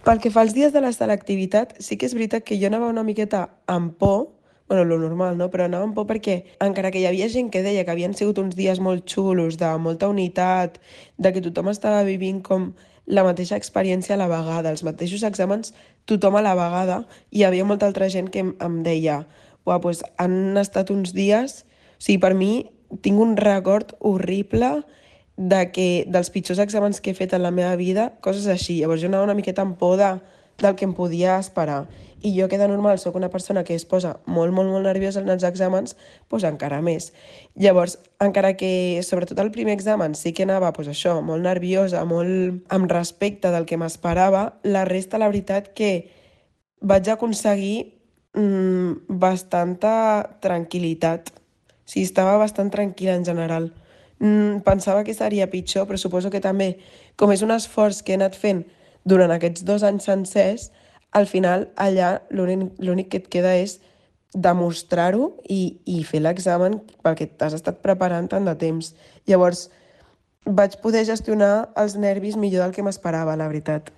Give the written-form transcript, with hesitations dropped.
Pel que fa als dies de la selectivitat, sí que és veritat que jo anava una miqueta amb por, bueno, lo normal, no? Però anava amb por perquè, encara que hi havia gent que deia que havien sigut uns dies molt xulos, de molta unitat, de que tothom estava vivint com la mateixa experiència a la vegada, els mateixos exàmens, tothom a la vegada, i hi havia molta altra gent que em deia, uah, doncs han estat uns dies... O sigui, per mi tinc un record horrible dels pitjors exàmens que he fet en la meva vida, coses així. Llavors jo anava una miqueta amb por del que em podia esperar. I jo, que de normal sóc una persona que es posa molt, molt, molt nerviosa en els exàmens, doncs encara més. Llavors, encara que, sobretot el primer examen, sí que anava, doncs això, molt nerviosa, molt amb respecte del que m'esperava, la resta, la veritat, que vaig aconseguir bastanta tranquil·litat. Sí, estava bastant tranquil·la en general. Pensava que seria pitjor, però suposo que també, com és un esforç que he anat fent durant aquests 2 anys sencers, al final allà l'únic que et queda és demostrar-ho i fer l'examen pel que t'has estat preparant tant de temps. Llavors, vaig poder gestionar els nervis millor del que m'esperava, la veritat.